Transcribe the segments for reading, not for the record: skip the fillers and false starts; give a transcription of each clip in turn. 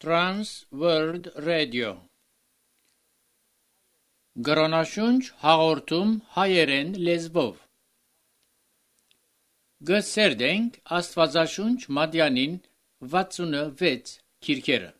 Trans World Radio Գրոնաշունչ հաղորդում հայերեն լեզվով Գսերդենք Աստվածաշունչ Մատյանին 66 քիրքերը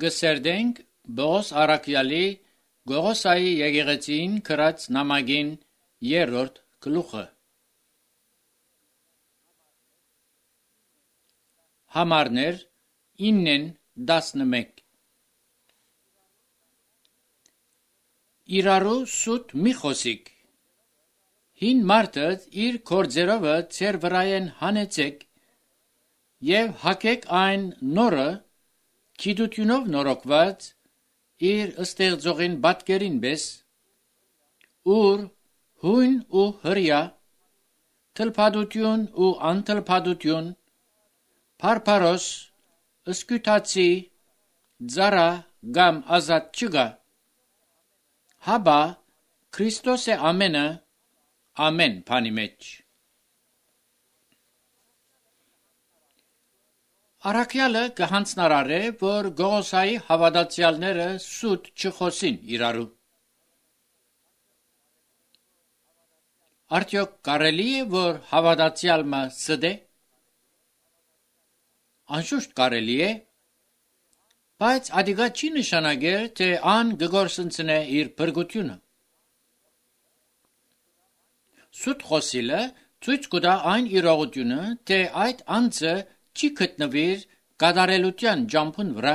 Գսերդենք Բողոս Արաքյալի Գողոսայի եկեղեցին կրած նամակին 3-րդ գլուխը Համարներ 9-11 Իրարու սուտ մի խոսիկ Հին մարդը իր կորձերովը ծեր վրայեն հանեցեք և հակեք այն նորը Գիտությունով նորոգված իր ստեղծողին պատկերին պես ուր հույն ու հրյա թլփադություն ու անթլփադություն փարփարոս սկյուտացի ծառա կամ ազատ չգա հաբա Քրիստոս է ամենը ամեն բանի մեջ Արաքյալը կհանձնարարե, որ Գողոսայի հավատացյալները սուտ չխոսին իրարու։ Արդյոք կարելի է, որ հավատացյալը սդե։ Անշուշտ կարելի է, բայց ադիգա չի նշանակել, թե ան գգործընծնե իր փրկությունը։ Սուտ խոսիլը ցույց կտա այն իրողությունը, թե այդ անձը չի գտնվիր կատարելության ջամփուն վրա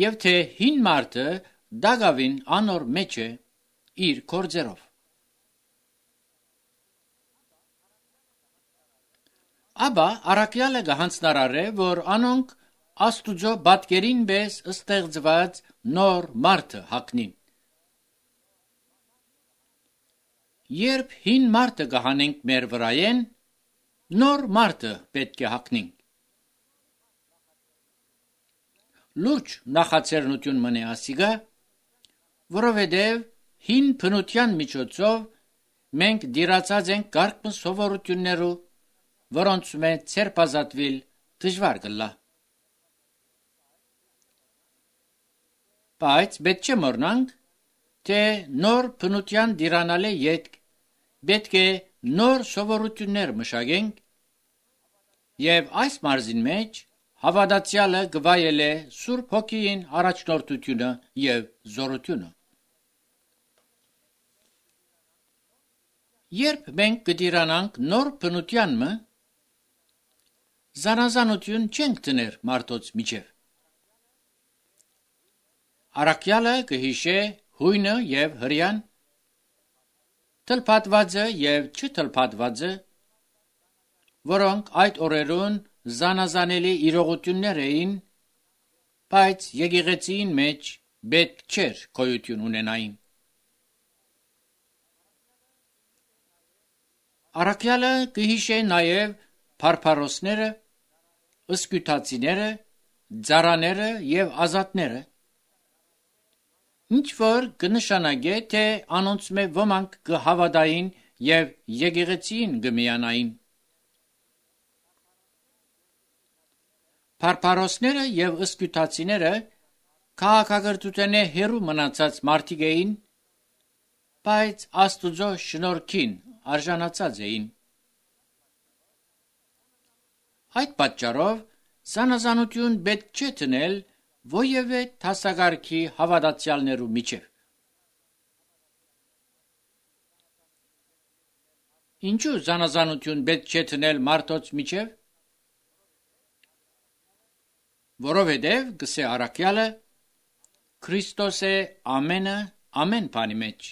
եւ թե հին մարդը դագավին անոր մեջ է իր կորձերով Աբա Արաքյալը գահանցնարար է որ անոնք Աստուծո բատկերին պես ստեղծված նոր մարդը հակնին երբ հին մարդը կհանենք մեր վրայեն, նոր մարդը պետք է հագնենք։ Լուրջ նախաձեռնություն մնե ասիգա, որովհետև հին բնության միջոցով մենք դիրացած ենք կարգ սովորություններու, որոնց մեջ ցերպազատվիլ դժվար կլա։ Բայց պետք չէ մոռնանք, թե նոր բնության դիրանալե ետք պետք է նոր սովորություններ մշակենք, եւ այս մարզին մեջ հավատացյալը գվայել է Սուրբ Հոգին առաջնորդությունը եւ զորությունը։ Երբ մենք կդիրանանք նոր բնության մը, զանազանություն չենք դներ մարդոց միջև։ Առաքյալը կհիշե հույնը եւ հրյան, թլփատվածը եւ չթլփատվածը, որոնք այդ օրերուն զանազանելի իրողություններ էին, բայց եկեղեցին մեջ պետք չէր գոյություն ունենային։ Առաքյալը կհիշե նաեւ փարփարոսները, ըսկյուտացիները, ծառաները եւ ազատները, ինչ որ կնշանակե, թե անոնց մե ոմանք կհավատային եւ եկեղեցին կմիանային։ Փարփարոսները եւ ըսկյուտացիները քաղաքակրթութենե հերու մնացած մարդիկ էին, բայց Աստուծո շնորհքին արժանացած էին։ Այդ պատճառով զանազանություն պետք չէ դնել ովևէ դասակարգի հավատացյալներու միջև։ Ինչու զանազանություն պետք չէ դնել մարդոց միջև։ Որովհետև գսե առաքյալը Քրիստոս է ամենը ամեն բանի մեջ։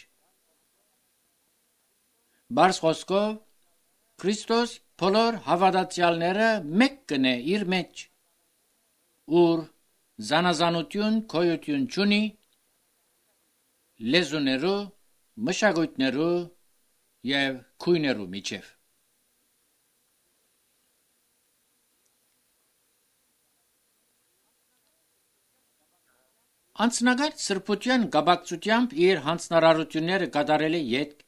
Բարձ խոսքով Քրիստոս բոլոր հավատացյալները մեկ կնե իր մեջ, ուր զանազանություն գոյություն չունի լեզուներու, մշակույթներու եւ քույներու միջև։ Անցնագար սրբության գաբակցությամբ իր հանձնարարությունները կատարել է ետք,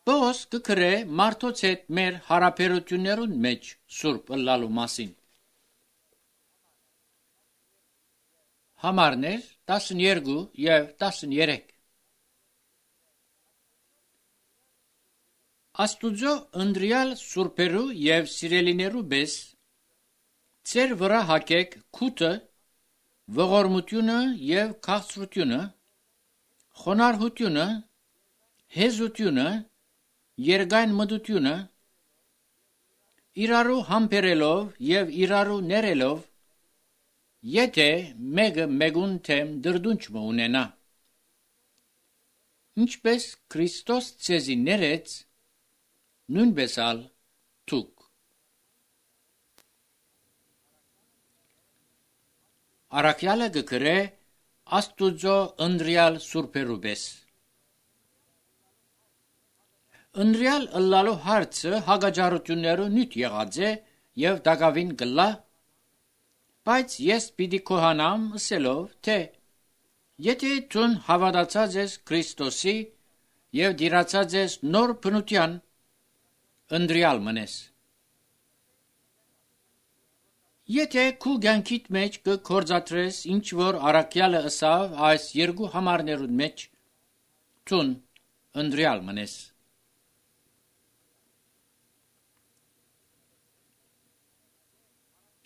Պողոս կգրե մարդոց հետ մեր հարաբերություններուն մեջ սուրբ ըլլալու մասին։ Համարներ 12 եւ 13 Աստուծո ընտրյալ սուրբերու եւ սիրելիներու բես ծեր վրա հակեք քութը, ողորմությունը եւ քաղցրությունը, խոնարհությունը, հեզությունը, երկայն մտությունը, իրարու համբերելով եւ իրարու ներելով, եթե մեկը մեկուն թեմ դրդունչ ունենա, ինչպես Քրիստոս ցեզի ներեց, նույնպես ալ թուք։ Առաքյալը կգրե Աստուծո ընտրյալ սուրբերու բես։ Ընտրյալ ըլլալու հարցը հագաջարություններու նյութ եղած է եւ դակավին գլա, բայց ես պիտի կոհանամ ասելով, թե եթե դուն հավատացած ես Քրիստոսի եւ դիրացած ես նոր բնության, ընտրյալ մնես։ Եթե քու կյանքիդ մեջ կգործադրես ինչ որ առաքյալը ըսավ այս երկու համարներուն մեջ, դուն ընտրյալ մնես։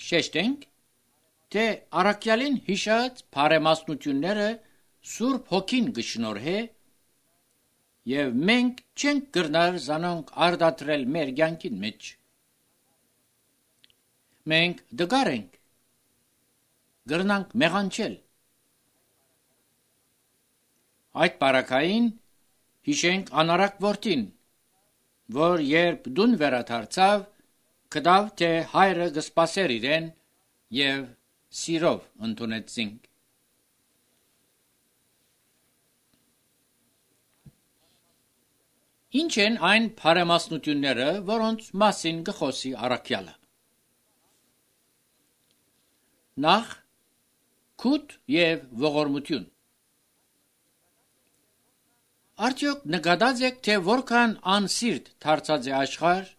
Շեշտենք, թե առաքյալին հիշած բարեմասնությունները Սուրբ Հոգին կշնորհե եւ մենք չենք կրնար զանոնք արդատրել մեր կյանքին մեջ։ Մենք դգար ենք, գրնանք մեղանչել։ Այդ բարակային հիշենք անարակ որդին, որ երբ դուն վերադարձավ, կդավ, թե հայրը կսպասեր իրեն եւ սիրով ընդունեցինք։ Ինչ են այն բարեմասնությունները, որոնց մասին գխոսի առաքյալը։ Նախ քութ եւ ողորմություն։ Արդյոք նկատած եք, թե որքան անսիրտ դարձած է աշխարհ,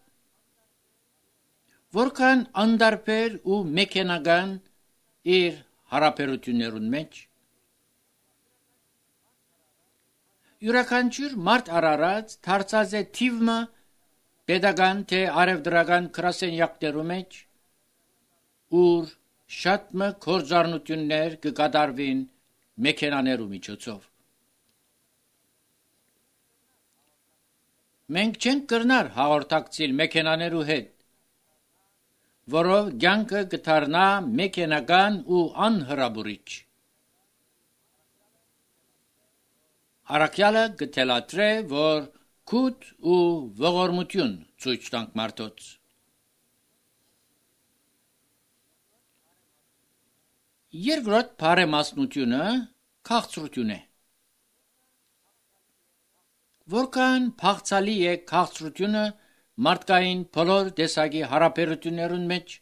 որքան անդարբեր ու մեքենական իր հարաբերություններուն մեջ։ Յուրաքանչյուր մարդ արարած դարձած է թիվը pedagogan թե արևդրական գրասենյակներու մեջ, ուր շատ մը կորձառնություններ կկատարվին մեքենաներու միջոցով։ Մենք չենք կրնար հաղորդակցիլ մեքենաներու հետ, որով կյանքը կդառնա մեքենական ու անհրաբուրիչ։ Առաքյալը կթելադրե, որ քութ ու ողորմություն ցույց տանք մարդոց։ Երկրորդ բարեմասնությունը քաղցրություն է։ Որքան փախցալի է քաղցրությունը մարդկային բոլոր տեսակի հարաբերություններուն մեջ,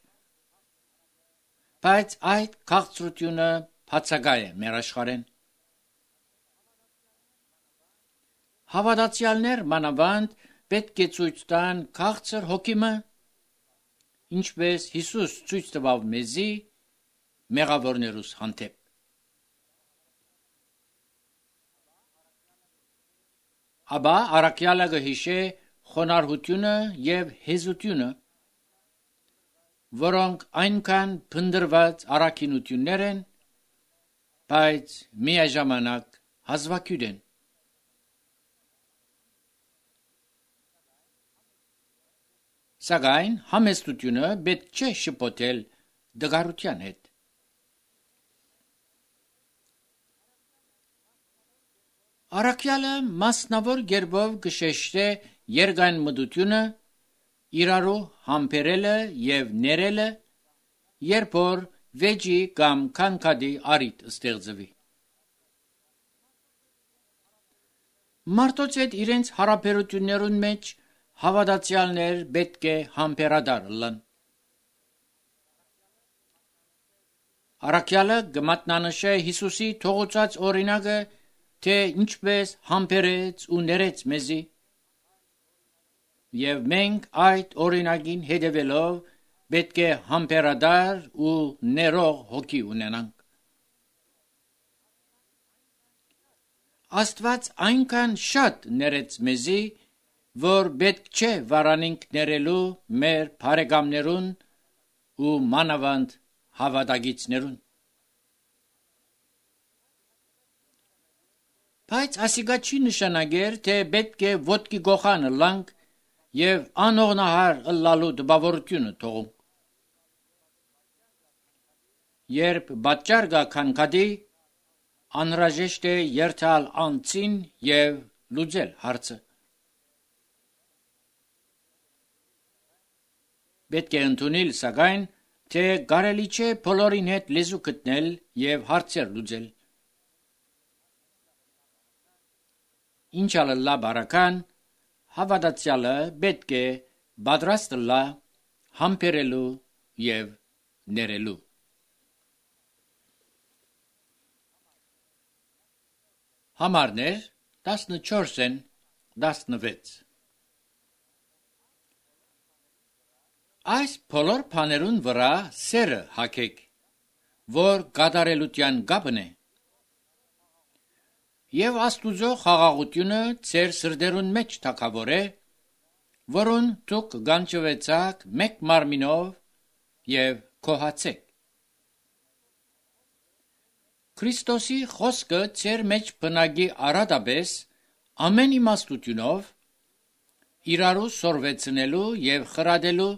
բայց այդ քաղցրությունը բացակայ է մեր աշխարհեն։ Հավատացյալներ մանավանդ պետք է ցույց տան քաղցր հոգիմը, ինչպես Հիսուս ցույց տվավ մեզի մեղավորներուս հանդեպ։ Աբա առաքյալը գհիշե խոնարհությունը եւ հեզությունը, որոնք այնքան փնդրված առաքինություններ են, բայց միաժամանակ հազվագյուտ են։ Սակայն համեստությունը պետք չէ շփոթել դգարության հետ։ Առաքյալը մասնավոր գերբով կշեշտե երկայն մտությունը, իրարու համբերելը եւ ներելը, երբ որ վեճի կամ քանքադի արիտ ստեղծվի։ Մարդոց հետ իրենց հարաբերություններուն մեջ հավատացյալներ պետք է համբերադար լան։ Առաքյալը կմատնանշե Հիսուսի թողոցած օրինակը, թե ինչպես համբերեց ու ներեց մեզի, եւ մենք այդ օրինակին հետևելով պետք է համբերադար ու ներող հոգի ունենանք։ Աստված այնքան շատ ներեց մեզի, որ պետք չէ վարանինք ներելու մեր բարեկամներուն ու մանավանդ հավատագիցներուն։ Բայց ասիկա չի նշանակեր, թե պետք է ոտքի գողանը լանք եւ անողնահար ըլլալու դպավորությունը թողում։ Երբ պատճառ կա քանքադի, անհրաժեշտ է երթալ անցին եւ լուծել հարցը։ Պետք է ընդունել սակայն, թե կարելի չէ բոլորին հետ լեզու գտնել եւ հարցեր լուծել։ Ինչալ լա բարական, հավատացյալը պետք է պատրաստ լա համբերելու եւ ներելու։ Համարներ 14-ն 16։ Այս բոլոր բաներուն վրա սերը հագեք, որ կատարելության կապն է, եւ Աստուծո խաղաղությունը ձեր սրտերուն մեջ թակավոր է, որուն դուք գանչվեցաք մեկ մարմինով եւ կոհացեք։ Քրիստոսի խոսքը ձեր մեջ բնակի արադաբես ամեն իմաստությունով, իրարու սորվեցնելու եւ խրադելու,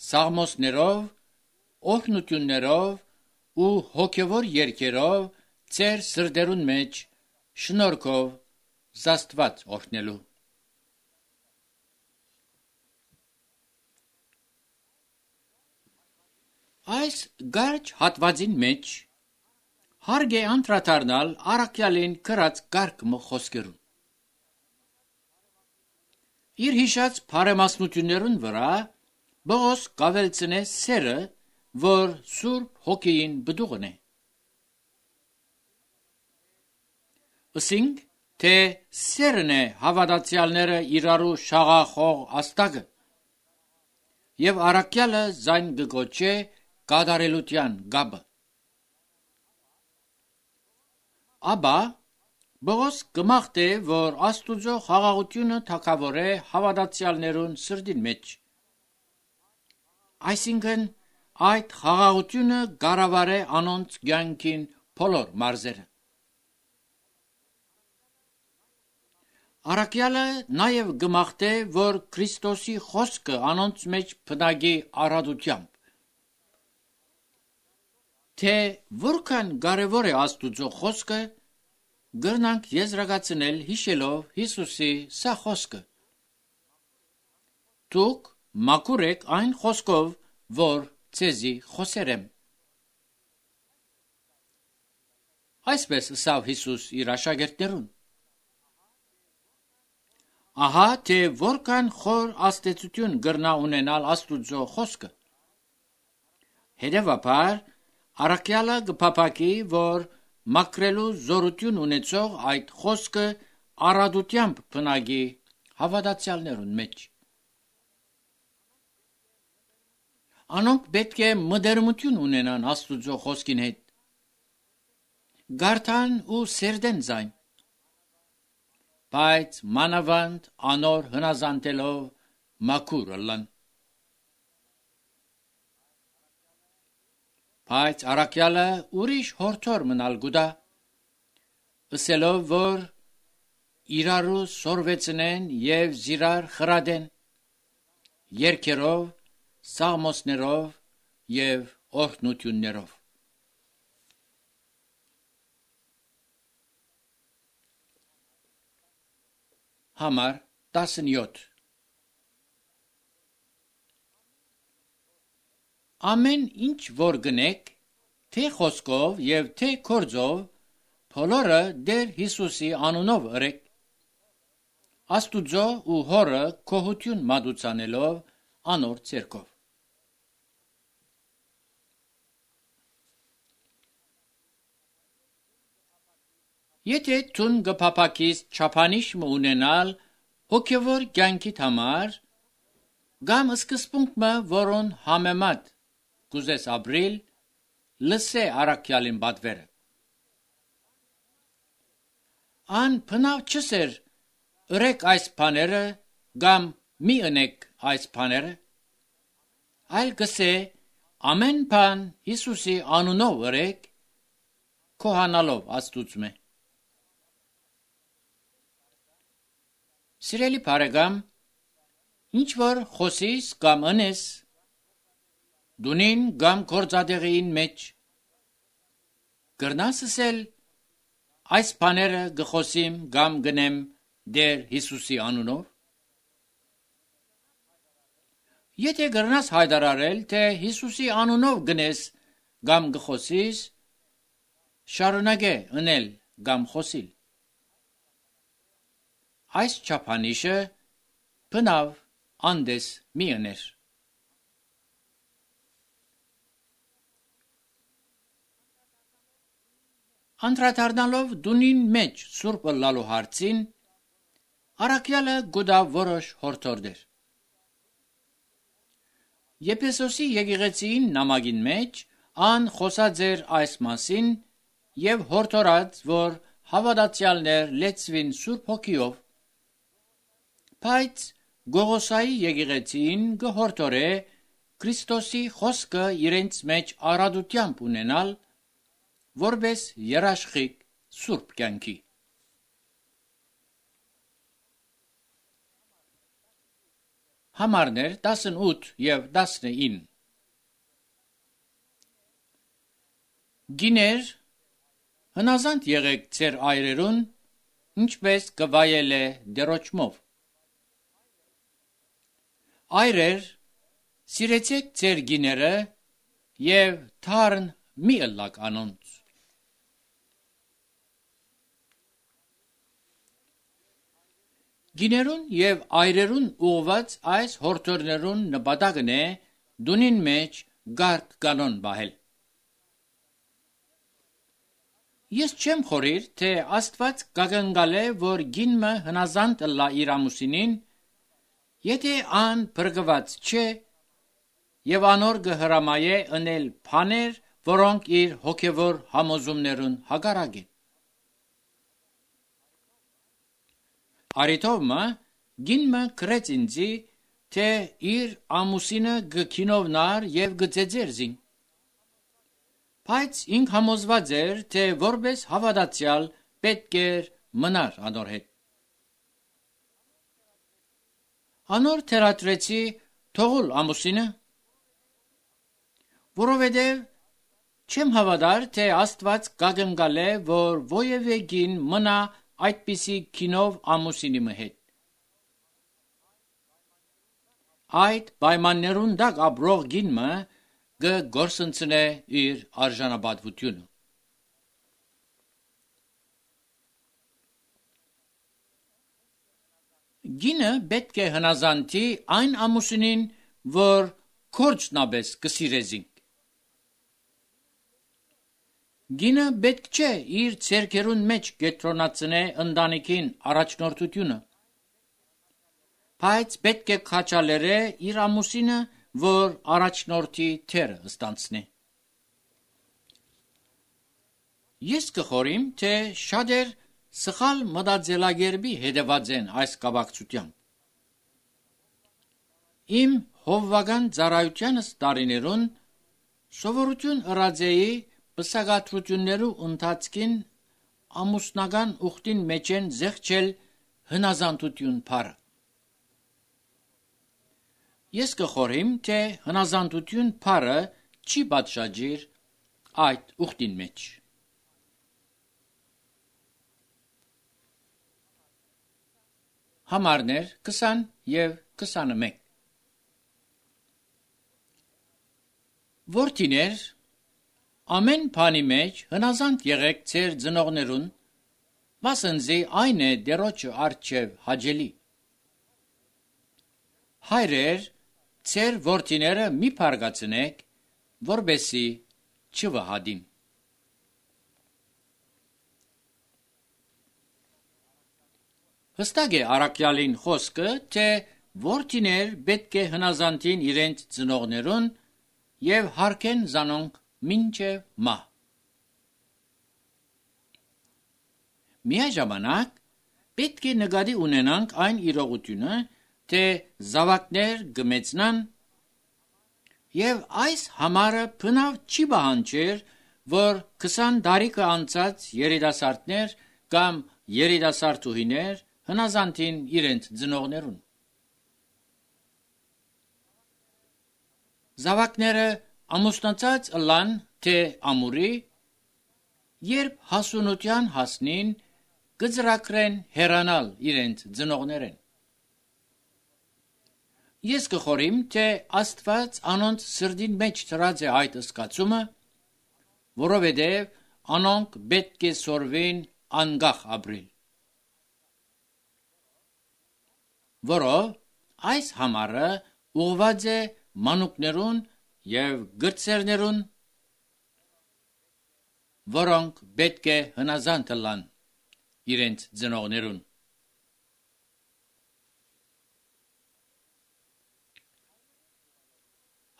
սաղմոսներով, օրհնություններով ու հոգևոր երգերով ձեր սրտերուն մեջ շնորհքով զաստված օրհնելու։ Այս գարջ հատվածին մեջ հարկ է անդրադառնալ առաքյալին կրած կարգ խոսքերուն։ Իր հիշած բարեմասնություններուն վրա Բողոս կավելցնե սերը, որ Սուրբ Հոգին բդուղն է։ Ասինք, թե սերն է հավատացյալները իրարու շաղախող աստագը, եւ առաքյալը զայն գգոչե կատարելության գաբը։ Աբա Բողոս կմաղթե, որ Աստուծո խաղաղությունը թակավոր է հավատացյալներուն սրդին մեջ։ Այսինքն, այդ խաղաղությունը գարավար է անոնց կյանքին բոլոր մարզերը։ Առաքյալը նաև գմաղթե, որ Քրիստոսի խոսքը անոնց մեջ բնագի առատությամբ։ Թե որքան կարևոր է Աստուծո խոսքը, գրնանք եզրակացնել հիշելով Հիսուսի սա խոսքը։ Դուք մաքուր եք այն խոսքով, որ ցեզի խոսերեմ։ Այսպես ասավ Հիսուս իր աշակերտներուն։ Ահա թե որքան խոր աստեցություն գրնա ունենալ Աստուծո խոսքը։ Հետևաբար, առաքյալը կփափակի, որ մաքրելու զորություն ունեցող այդ խոսքը առատությամբ բնագի հավատացյալներուն մեջ։ Անոնք պետք է մտերմություն ունենան Աստուծո խոսքին հետ։ Գարթան ու սերդեն զայն։ Բայց մանավանդ անոր հնազանդելով մաքուր ըլլան։ Բայց առաքյալը ուրիշ հորթոր մնալ գուտա, ըսելով, որ իրարու սորվեցնեն եւ զիրար խրադեն, երգերով, սաղմոսներով եւ օրհնություններով։ Համար 17 Ամեն ինչ որ գնեք, թե խոսքով եւ թե գործով, բոլորը դեր Հիսուսի անունով ըրեք, Աստուծո ու Հորը կողություն մատուցանելով անոր ցերկով։ Եթե տուն գփափակիս չափանիշ ունենալ հոգևոր կյանքիդ համար, գամ սկզբունքը, որոն համեմատ գուզես ապրիլ, լսե առաքյալին բադվերը։ Ան բնավ չսեր, ըրեք այս բաները, գամ մի ընեք այս բաները, այլ գսե ամեն բան Հիսուսի անունով ըրեք, քոհանալով Աստուծմե։ Սիրելի բարեկամ, ինչ որ խոսիս կամ ընես, դունին կամ գործադեղին մեջ, գրնաս ասել, այս բաները գխոսիմ կամ գնեմ դեր Հիսուսի անունով։ Եթե գրնաս հայտարարել, թե Հիսուսի անունով գնես կամ գխոսիս, շարունակե ընել կամ խոսիլ։ Այս չափանիշը բնավ անդես մի ըներ։ Անդրադառնալով դունին մեջ սուրբ ըլլալու հարցին, առաքյալը գուտա որոշ հորդորներ։ Եփեսոսի եկեղեցին նամակին մեջ ան խոսած էր այս մասին եւ հորդորած, որ հավատացյալներ լեցվին սուրբ հոգիով, բայց Գողոսայի եկեղեցին գհորդորե Քրիստոսի խոսքը իրենց մեջ առատությամբ ունենալ, որպես երաշխիք սուրբ կյանքի։ Համարներ 18 եւ 19 Գիներ, հնազանդ եղեք ձեր այրերուն, ինչպես կվայել է դերոճմով։ Այրեր, սիրեցեք ձեր գիները եւ թարն մի ըլլակ անոնց։ Գիներուն եւ այրերուն ուղված այս հորթորներուն նպատակն է դունին մեջ գարկ կանոն բահել։ Ես չեմ խորիր, թե Աստված կագնգալ է, որ գինը հնազանդ լա իր ամուսինին, եթե ան բրգված չէ եւ անոր գհրամայե ընել փաներ, որոնք իր հոգևոր համոզումներուն հագարակ են։ Արիթովմը գինը գրեց ինձի, թե իր ամուսինը գքինովնար եւ գծեծերզին։ Բայց ինք համոզված էր, թե որպես հավատացյալ պետք էր մնար անոր հետ։ Անոր թերատրեցի թողուլ ամուսինը, որովհետև չեմ հավատար, թե Աստված կագնգալ է, որ ովևէ գին մնա այդպիսի քինով ամուսինի հետ։ Այդ պայմաններուն դակ ապրող գինը գործընծնե իր արժանապատվությունը։ Գինը պետք է հնազանդի այն ամուսինին, որ կորչնաբես կսիրեզինք։ Գինը պետք չէ իր ցերկերուն մեջ կետրոնացնե ընտանիքին առաջնորդությունը, բայց պետք է քաչալերե իր ամուսինը, որ առաջնորդի թերը ստանցնի։ Ես կխորիմ, թե շատեր սխալ մտածելակերպի հետևած են այս կապակցությամբ։ Իմ հովվական ծառայությանս տարիներուն սովորություն ըրաձեի պսակադրություններու ընթացքին ամուսնական ուխտին մեջ են զեղչել հնազանդություն փառը։ Ես կխորիմ, թե հնազանդություն փառը չի պատշաճիր այդ ուխտին մեջ։ Համարներ 20 եւ 21 Որդիներ, ամեն բանի մեջ հնազանդ եղեք ձեր ծնողներուն, վասնզի այն է դերոջը առջև հաճելի։ Հայրեր, ձեր որդիները մի փարգացնեք, որբեսի չվհադին։ Հստակ է առաքյալին խոսքը, թե որդիներ պետք է հնազանդին իրենց ծնողներուն եւ հարգեն զանոնք մինչև մահ։ Միաժամանակ պետք է նկատի ունենանք այն իրողությունը, թե զավակներ գմեցնան եւ այս համարը բնավ չի բանջեր, որ 20 տարիքը անցած երիտասարդներ կամ երիտասարդուհիներ հնազանդին իրենց ծնողներուն։ Զավակները ամուսնացած ըլան, թե ամուրի, երբ հասունության հասնին, կծրակրեն հեռանալ իրենց ծնողներեն։ Ես կխորիմ, թե Աստված անոնց սրդին մեջ ծրած է այդ զգացումը, որովհետև անոնք պետք է սորվին անգախ ապրիլ։ Որով այս համարը ուղված է մանուկներուն եւ գրծերներուն, որոնք պետք է հնազանդ լան իրենց ծնողներուն։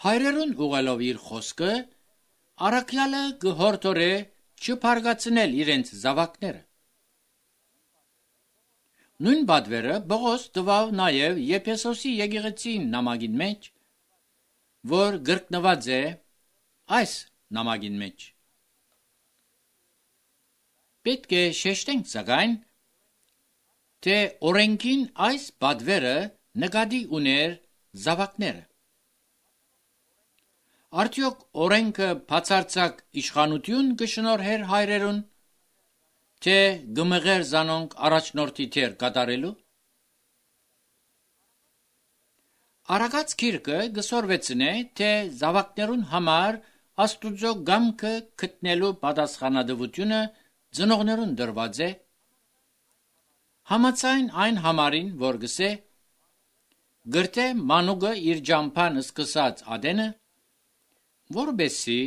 Հայրերուն ուղելով իր խոսքը, առաքյալը գհորդորե չփարգացնել իրենց զավակները։ Նույն բադվերը Պողոս տվավ նաև Եփեսոսի եկեղեցին նամակին մեջ, որ գրկնված է այս նամակին մեջ։ Պետք է շեշտենք սակայն, թե օրենքին այս բադվերը նկատի ուներ զավակները։ Արդյոք օրենքը բացարձակ իշխանություն կշնորհեր հայրերուն, թե գմղեր զանոնք առաջնորդի թեր կատարելու։ Արագած գիրքը գսորվեցնե, թե զավակներուն համար Աստուծո գամքը գտնելու պատասխանատվությունը ծնողներուն դրված է, Համաձայն այն համարին, որ գսե գրտե մանուկը իր ջամփան սկսած ադենը, որբեսի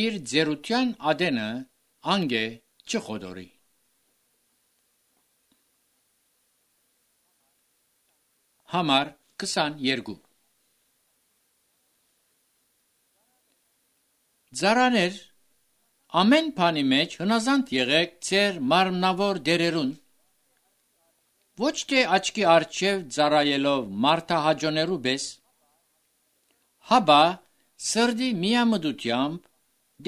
իր ձերության ադենը անգե չխոդորի։ Համար 22 Ձարաներ, ամեն բանի մեջ հնազանդ եղեք ձեր մարմնավոր դերերուն, ոչ թե աչքի առջև ծառայելով մարդահաջոներու պես, հաբա սրդի միամտությամբ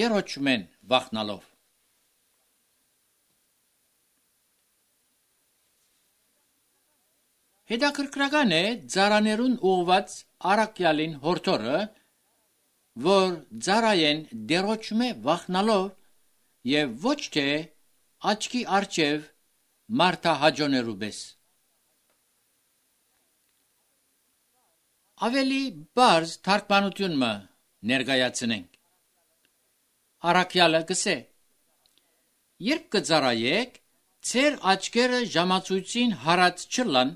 դերոճմեն վախնալով։ Հետաքրքրական է ծառաներուն ուղված առաքյալին հորդորը, որ ծառայեն դերոճմե վախնալով եւ ոչ թե աչքի առջև մարդահաջոներու պես։ Ավելի բարձ թարգմանություն մը ներկայացնենք։ Առաքյալը գսե. երբ կծառայեք, ձեր աչքերը ժամացույցին հարած չլան,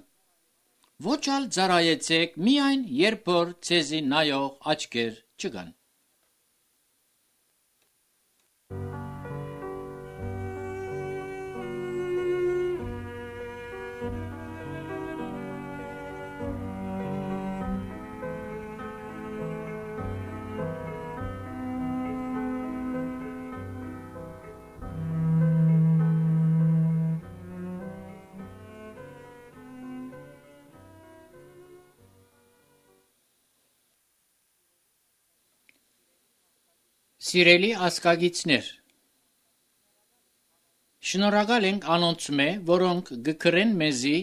ոչ ալ ծառայեցեք միայն երբ որ ձեզի նայող աչքեր չկան։ Սիրելի ասկագիցներ, շնորհակալ ենք անոնցմե, որոնք գկրեն մեզի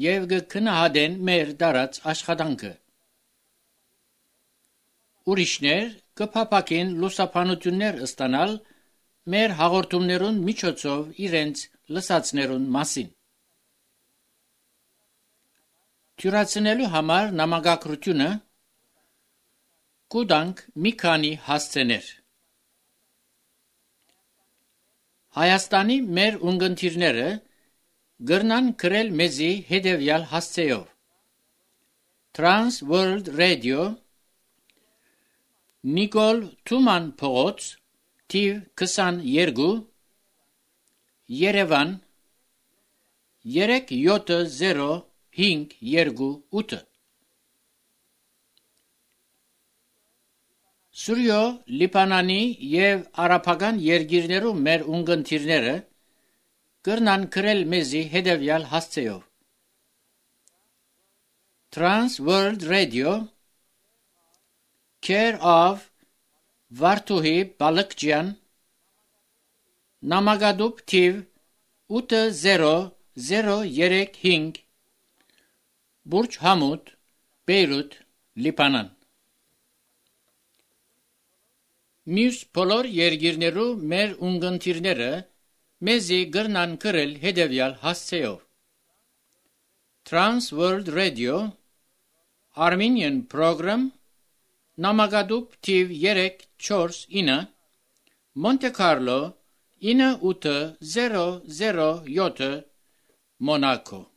եւ գքնահատեն մեր դարած աշխատանքը։ Ուրիշներ կփապակեն լուսապանություններ ստանալ մեր հաղորդումներուն միջոցով իրենց լսածներուն մասին։ Թյուրացնելու համար նամակագրությունը կուտանք մի քանի հասցեներ։ Հայաստանի մեր ունգընտիրները գրնան գրել մեզի հետևյալ հասցեով. Trans World Radio, Նիկոլ Թուման փողոց, թիվ 22, Երևան 37058 Սուրյո, Լիբանանի եւ արաբական երկիրներու մեր ունգընտիրները կրնան գրել մեզի հետևյալ հասցեով. Trans World Radio, Care of Վարդուհի Բալկջյան, Նամակադուբ թիվ 80035, Բուրջ Համուդ, Բեյրութ, Լիբանան։ Մյուս բոլոր երկիրներու մեր ունգընտիրները մեզի գրնան գրել հետևյալ հասցեով. Trans World Radio, Armenian Program, Նամակադուբ թիվ 349, Monte Carlo 9807, Monaco։